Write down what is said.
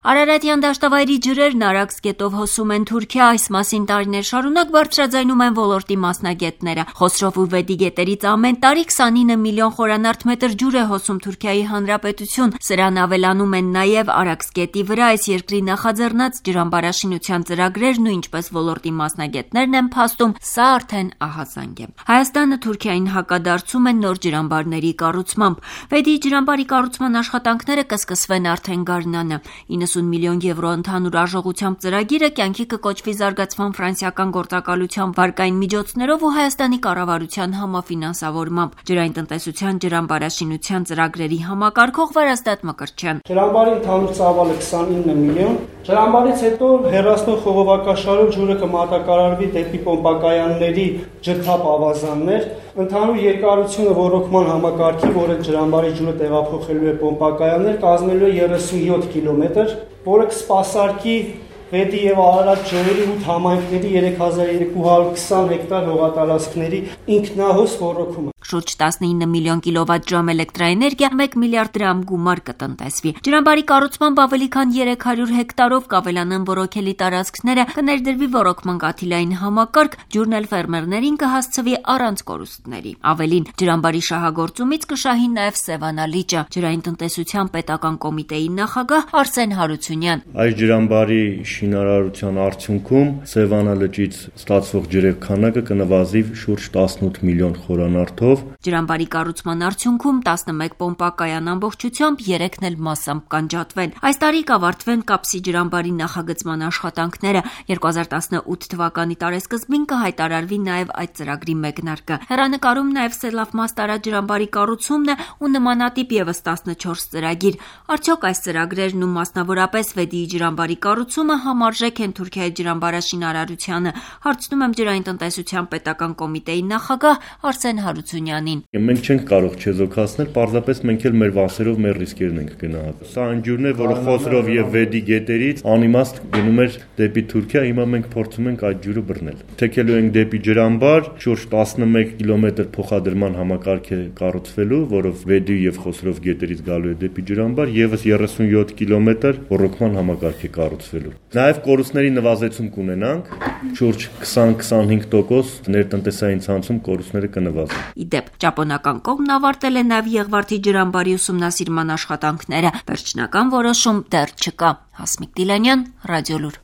Արարատյան դաշտավայրի ջրերն Արաքս գետով հոսում են Թուրքիա, այս մասին տարիներ շարունակ բարձրաձայնում են ոլորտի մասնագետները։ Խոսրով ու Վեդի գետերից ամեն տարի 29 միլիոն խորանարդ մետր ջուր է հոսում Թուրքիայի Հանրապետություն։ Սրան ավելանում են նաև Արաքս գետի վրա այս երկրի նախաձեռնած ջրամբարաշինության ծրագրերն ու ինչպես ոլորտի մասնագետներն են փաստում, սա արդեն ահազանգ է։ Հայաստանը Թուրքիային հակադարձում է նոր ջրամբարների կառուցմամբ։ Վեդի ջրամբարի կառուցման աշխատանքները կսկսվեն արդեն գարնանը։ 90 միլիոն եվրո ընդհանուր արժողությամբ ծրագիրը կյանքի կկոչվի զարգացման ֆրանսիական գործակալության վարկային միջոցներով ու Հայաստանի կառավարության համաֆինանսավորմամբ։ Ջրային տնտեսության ջրամբարաշինության ծրագրերի համակարգող Վարազդատ Մկրտչյան. Ջրամբարի ընդհանուր ծավալը 29 միլիոն։ Ջրամբարից հետո հեռացնող խողովակաշարով ջուրը կմատակարարվի դեպի պոմպակայանների ջրթափ ավազաններ։ Ընդհանուր երկարությունը ոռոգման համակարգի, որը ջրամբարի ջուրը տեղափոխելու է պոմպակայաններ, կազմելու է 37 կիլոմետր, որը կսպասարկի Վեդի եւ Արարատ ջրերի 8 համայնքների 3220 հեկտար հողատարածքների ինքնահոս ոռոգումը։ Շուրջ 19 միլիոն կիլովատ-ժամ էլեկտրաէներգիա 1 միլիարդ դրամ գումար կտնտեսվի։ Ջրամբարի կառուցմամբ ավելի քան 300 հեկտարով կավելանան ոռոգելի տարածքները, կներդրվի ոռոգման կաթիլային համակարգ, ջուրն էլ ֆերմերներին կհասցվի առանց կորուստների։ Ավելին, ջրամբարի շահագործումից կշահի նաև Սևանա լիճը։ Ջրային տնտեսության պետական կոմիտեի նախագահ Արսեն Հարությունյան. Այս ջրամբարի շինարարության արդյունքում Սևանա լճից ստացվող ջրերի քանակը կնվազի շուրջ 18 միլիոն խորանարդով։ Ջրամբարի կառուցման արդյունքում 11 պոմպակայան ամբողջությամբ 3-ն էլ մասամբ կանջատվեն։ Այս տարի կավարտվեն Կապսի ջրամբարի նախագծման աշխատանքները։ 2018 թվականի տարեսկզբին կհայտարարվի նաև այդ ծրագրի մեկնարկը։ Հեռանկարում նաև Սելավմաստարա ջրամբարի կառուցումն է ու նմանատիպ եւս 14 ծրագիր։ Արդյոք այս ծրագրերն ու մասնավորապես Վեդիի ջրամբարի կառուցումը համարժեք են Թուրքիայի ջրամբարաշինարարությանը։ Հարցնում եմ ջրային տնտեսության պետական կոմիտեի նախագահ Արսեն Հարությունյանին. Մենք չենք կարող չեզոքացնել, պարզապես մենք էլ մեր վասերով մեր ռիսկերն ենք գնահատում։ Սա այն ջուրն է, որը Խոսրով եւ Վեդի գետերից անիմաստ գնում էր դեպի Թուրքիա, հիմա մենք փորձում ենք այդ ջուրը բռնել։ Թեքելու ենք դեպի ջրամբար, շուրջ 11 կիլոմետր փոխադրման համակարգ է կառուցվելու, որով Վեդի եւ Խոսրով գետերից գալու է դեպի ջրամբար, եւս 37 կիլոմետր ոռոգման համակարգ է կառուցվելու։ Նաև կորուստների նվազեցում կունենանք, շուրջ 20-25% ներտնտեսային ցանցում կորուստները կնվազեն։ Իդեպ, ճապոնական կողմն ավարտել է նաև Եղվարդի ջրամբարի ուսումնասիրման աշխատանքները։ Վերջնական որոշում դեռ չկա։ Հասմիկ Դիլանյան, Ռադիոլուր։